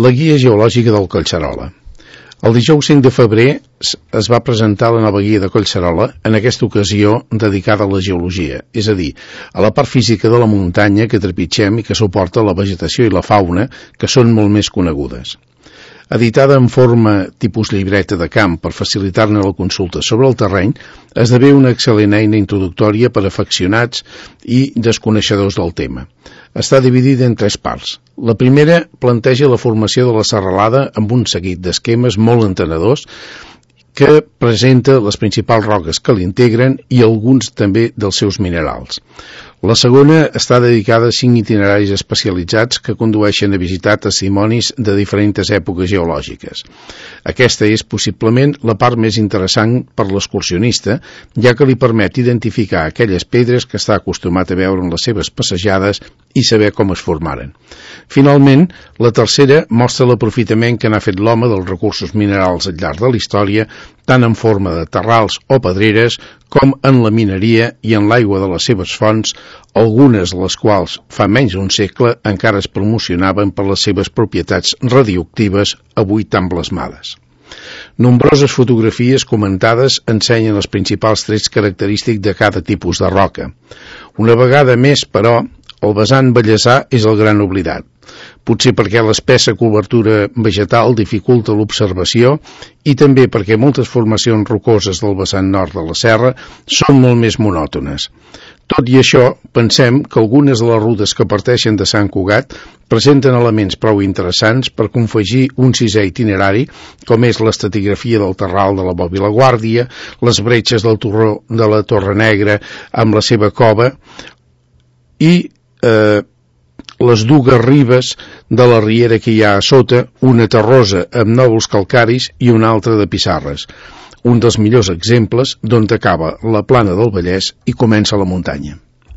La guia geològica del Collserola. El dijous 5 de febrer es va presentar la nova guia de Collserola, en aquesta ocasió dedicada a la geologia, és a dir, a la part física de la muntanya que trepitgem i que suporta la vegetació i la fauna, que són molt més conegudes. Editada en forma tipus llibreta de camp per facilitar-ne la consulta sobre el terreny, esdevé una excel·lent eina introductòria per a afeccionats i desconeixedors del tema. Està dividida en 3 parts. La primera planteja la formació de la serralada amb un seguit d'esquemes molt entenedors que presenta les principals roques que l'integren i alguns també dels seus minerals. La segona està dedicada a 5 itineraris especialitzats que condueixen a visitar testimonis de diferents èpoques geològiques. Aquesta és possiblement la part més interessant per l'excursionista, ja que li permet identificar aquelles pedres que està acostumat a veure en les seves passejades i saber com es formaren. Finalment, la tercera mostra l'aprofitament que n'ha fet l'home dels recursos minerals al llarg de la història, tant en forma de terrals o pedreres, com en la mineria i en l'aigua de les seves fonts, algunes de les quals, fa menys d'un segle, encara es promocionaven per les seves propietats radioactives, avui tan blasmades. Nombroses fotografies comentades ensenyen els principals trets característics de cada tipus de roca. Una vegada més, però, el vessant vallesà és el gran oblidat. Potser perquè l'espessa cobertura vegetal dificulta l'observació i també perquè moltes formacions rocoses del vessant nord de la serra són molt més monòtones. Tot i això, pensem que algunes de les rutes que parteixen de Sant Cugat presenten elements prou interessants per confegir un 6è itinerari, com és l'estratigrafia del terral de la Bòbila Guàrdia, les bretxes del turó de la Torre Negra amb la seva cova i les dues ribes de la riera que hi ha a sota, una terrosa amb nòvols calcaris i una altra de pissarres. Un dels millors exemples d'on acaba la plana del Vallès i comença la muntanya.